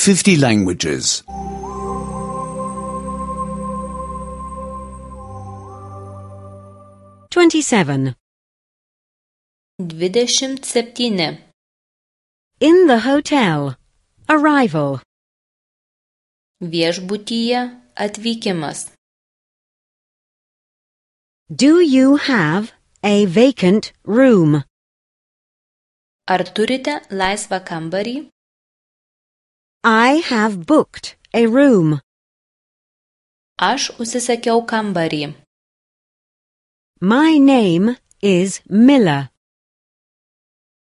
50 languages. 27. 27. In the hotel. Arrival. Viešbutyje atvykimas. Do you have a vacant room? Ar turite laisvą kambarį? I have booked a room. Aš užsisakiau kambarį. My name is Miller.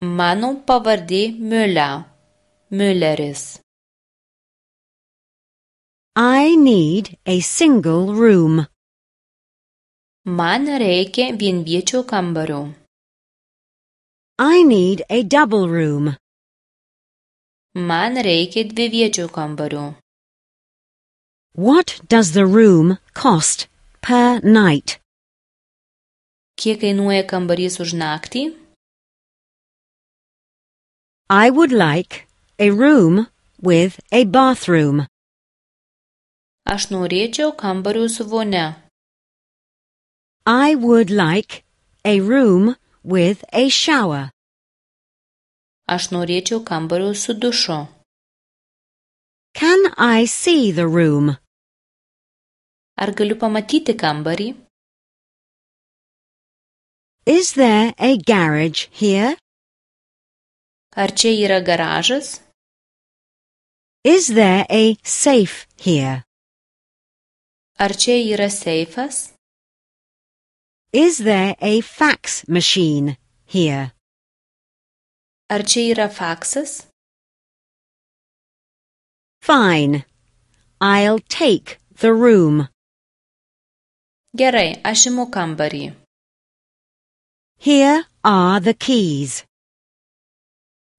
Mano pavardė Mülleris. I need a single room. Man reikia vienviečio kambario. I need a double room. Man reikia dviviečio kambario. What does the room cost per night? Kiek kainuoja kambarys už naktį? I would like a room with a bathroom. Aš norėčiau kambario su vonia. I would like a room with a shower. Aš norėčiau kambario su dušu. Can I see the room? Ar galiu pamatyti kambarį? Is there a garage here? Ar čia yra garažas? Is there a safe here? Ar čia yra seifas? Is there a fax machine here? Ar čia yra faksas? Fine. I'll take the room. Gerai, aš imu kambarį. Here are the keys.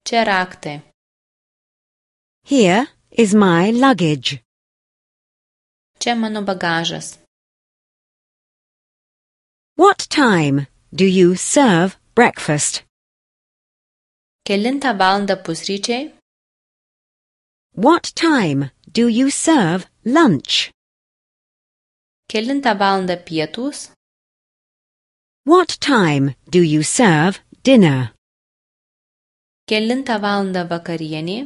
Čia raktai. Here is my luggage. Čia mano bagažas. What time do you serve breakfast? Kelintą valandą pusryčiai? What time do you serve lunch? Kelintą valandą pietūs? What time do you serve dinner? Kelintą valandą vakarienė?